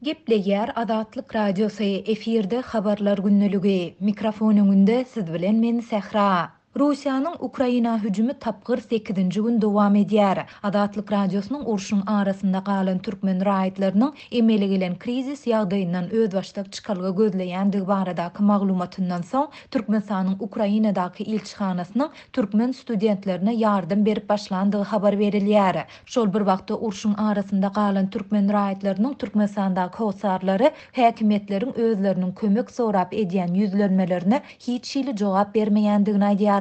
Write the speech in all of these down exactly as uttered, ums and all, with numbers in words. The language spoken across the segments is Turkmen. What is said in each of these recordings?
Gepleýär Azatlyk Radiosy, efirde Habarlar gündeligi. Mikrofon öňünde siz bilen men Sähra. Russiýanyň Ukraina hüjümi tapgyr sekizinji gün dowam edýär. Azatlyk Radiosynyň urşuň arasynda galan türkmen raýatlarynyň emele gelen krizis ýagdaýyndan özbaşdak çykalga gözleýändigi baradaky maglumatyndan soň Türkmenistanyň Ukrainadaky ilçihanasynyň türkmen studentlerine ýardam berip başlandygy habar berilýär. Şol bir wagtda urşuň arasynda galan türkmen raýatlarynyň Türkmenistandaky hossarlary häkimiýetleriň özleriniň kömek sorap edýän ýüzlenmelerine hiç hili jogap bermeýändigini aýdýarlar.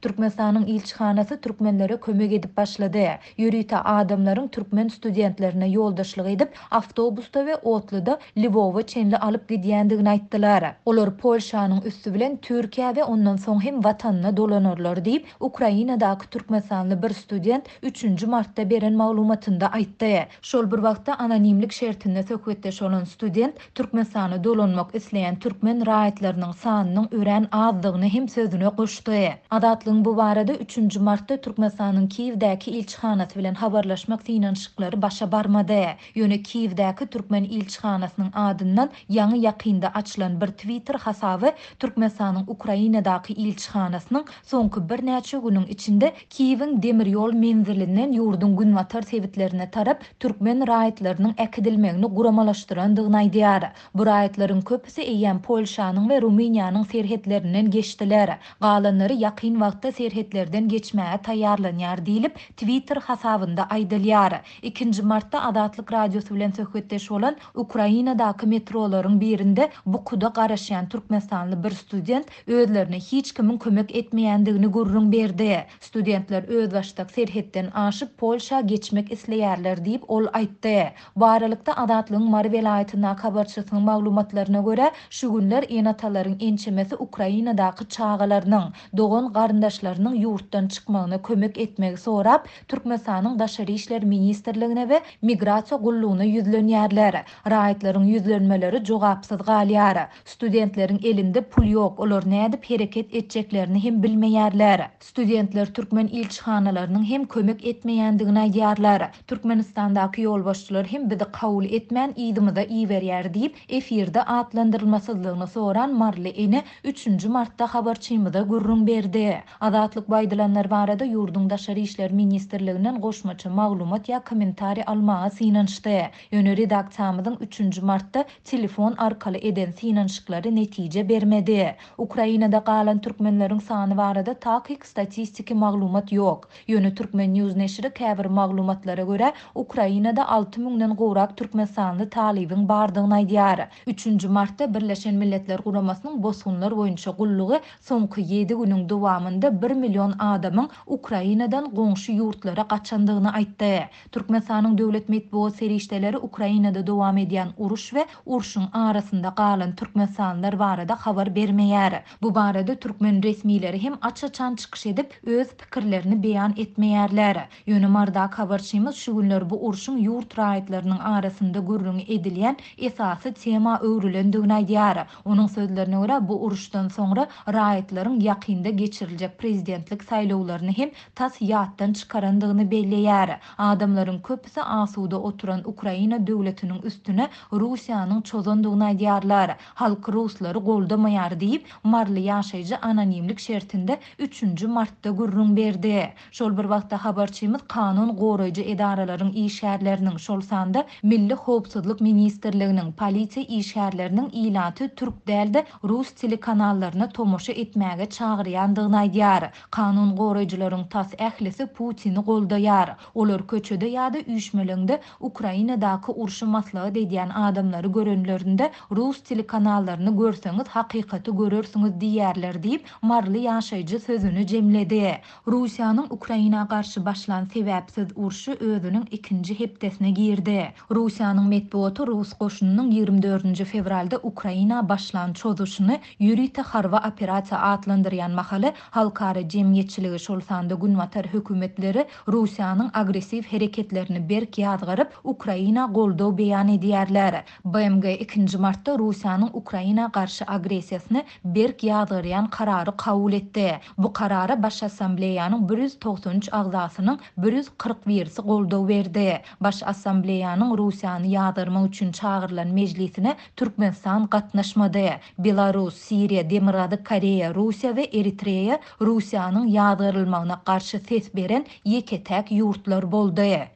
Türkmenistanyň ilçihanasy türkmenlere kömek edip başlady. Ýörite adamlaryň türkmen studentlerine ýoldaşlyk edip, awtobusda we otluda Lwowa çenli alyp gidýändigini aýtdylar. Olar Polşanyň üsti bilen Türkiýä we ondan soň hem watanyna dolanarlar diýip, Ukrainadaky türkmenistanly bir student üçünji martda beren maglumatynda aýtdy. Şol bir wagtda anonimlik şertinde söhbetdeş bolan student Türkmenistana dolanmak isleýän türkmen raýatlarynyň sanynyň örän azdygyny hem sözüne goşdy. Azatlygyň bu barada üçünji martda Türkmenistanyň Kiýewdäki ilçihanasy bilen habarlaşmak synanyşyklary başa barmady. Ýöne Kiýewdäki türkmen ilçihanasynyň adyndan ýaňy ýakynda açylan bir Twitter hasaby Türkmenistanyň Ukrainadaky ilçihanasynyň soňky birnäçe günüň içinde Kiýewiň demir ýol menzilinden ýurduň günbatar sebitlerine tarap türkmen raýatlarynyň äkidilmegini guramalaşdyrandygyny aýdýar. Bu raýatlaryň köpüsi eýýäm Polşanyň we Rumyniýanyň serhetlerinden geçdiler. Galanlary ýakyn wagtda serhetlerden geçmäge taýýarlanýar diýlip Twitter hasabynda aýdylýar. Ikinji martda Azatlyk Radiosy bilen söhbetdeş bolan Ukrainadaky metrolaryň birinde bukuda garaşýan türkmenistanly bir student özlerine hiç kimiň kömek etmeýändigini gürrüň berdi. Studentler özbaşdak serhetden aşyp Polşa geçmek isleýärler diýip ol aýtdy. Bu aralykda Azatlygyň Mary welaýatyndaky habarçysynyň maglumatlaryna görä, şu günler ene-atalaryň ençemesi Ukrainadaky çagalarynyň, dogan garyndaşlarynyň ýurtdan çykmagyna kömek etmegi sorap, Türkmenistanyň Daşary işler ministrligine we Migrasiýa gullugyna ýüzlenýärler. Raýatlaryň ýüzlenmeleri jogapsyz galýar. Studentleriň elinde pul ýok, olar nädip hereket etjeklerini hem bilmeýärler. Studentler türkmen ilçihanalarynyň hem kömek etmeýändigini aýdýarlar. Türkmenistandaky ýolbaşçylar hem bizi kabul etmän ýygymyza iberýär diýip, efirde atlandyrylmasyzlygyny soran Marly ene üçünji martda habarçymyza gürrüň berdi. Azatlyk baýdylanlar barada ýurduň Daşary işler ministrliginden goşmaça maglumat ýa kommentariý almaga synanyşdy. Ýöne redaksiýamyzyň üçünji martda telefon arkaly eden synanyşyklary netije bermedi. Ukrainada galan türkmenleriň sany barada takyk statistiki maglumat ýok. Ýöne Türkmen News neşiri käbir maglumatlara görä Ukrainada alty müňden gowrak türkmenistanly talybyň bardygyny aýdýar. Üçünji martda Birleşen Milletler Guramasynyň bosgunlar boýunça gullugy soňky ýedi günüň dowamynda bir million adamyň Ukrainadan goňşy ýurtlara gaçandygyny aýtdy. Türkmenistanyň döwlet metbugat serişdeleri Ukrainada dowam edýän uruş we urşuň arasynda galan türkmenistanlylar barada habar bermeýär. Bu barada türkmen resmileri hem aç-açan çykyş edip öz pikirlerini beýan etmeýärler. Ýöne Mardak habarçymyz şu günler bu urşuň ýurt raýatlarynyň arasynda gürrüňi edilýän esasy tema öwrülendigini aýdýar. Onuň sözlerine görä bu uruşdan soňra raýatlaryň ýakynda geçiriljek prezidentlik saýlawlaryny hem tas ýatdan çykarandygyny belleýär. Adamlaryň köpüsi asuda oturan Ukraina döwletiniň üstüne Russiýanyň çozandygyny aýdýarlar. Halk ruslary goldamaýar diýip, Marly ýaşaýjy anonimlik şertinde üçünji martda gürrüň berdi. Şol bir wagtda habarçymyz kanun goraýjy edaralaryň işgärleriniň, şol sanda Milli Howpsuzlyk ministrliginiň, polisiýa işgärleriniň ilaty türk dälde rus telekanallaryna tomaşa etmäge çagyrýandygyny aýdýar. Kanun goraýjylaryň tas ählisi Putini goldaýar. Olar köçede ýa-da üýşmeleňde Ukrainadaky urşy maslahat edýän adamlary görenlerinde rus telekanallaryny görseňiz hakykaty görersiňiz diýerler diýip, Marly ýaşaýjy sözüni jemledi. Russiýanyň Ukraina garşy başlan sebäpsiz urşy özüniň ikinji hepdesine girdi. Russiýanyň metbugaty Rus goşunynyň ýigrimi dördünji fewralda Ukraina başlan çozuşyny ýörite harby operasiýa atlandyrýan mahaly mahaly halkara jemgyýetçiligi, şol sanda Günbatar hökümetleri Russiýanyň agressiw hereketlerini berk ýazgaryp, Ukraina goldaw beýan edýärler. B M G ikinji martda Russiýanyň Ukraina garşy agressiýasyny berk ýazgarýan karary kabul etdi. Bu karara Baş Assambleýanyň bir ýüz togsan üç agzasynyň bir ýüz kyrk birisi goldaw berdi. Baş Assambleýanyň Russiýany ýazgarmak üçin çagyrylan mejlisine Türkmenistan gatnaşmady. Belarus, Siriýa, Demirgazyk Koreýa, Russiýa we Eritreýa Russiýanyň ýazgarylmagyna garşy ses beren ýeke-täk ýurtlar boldy.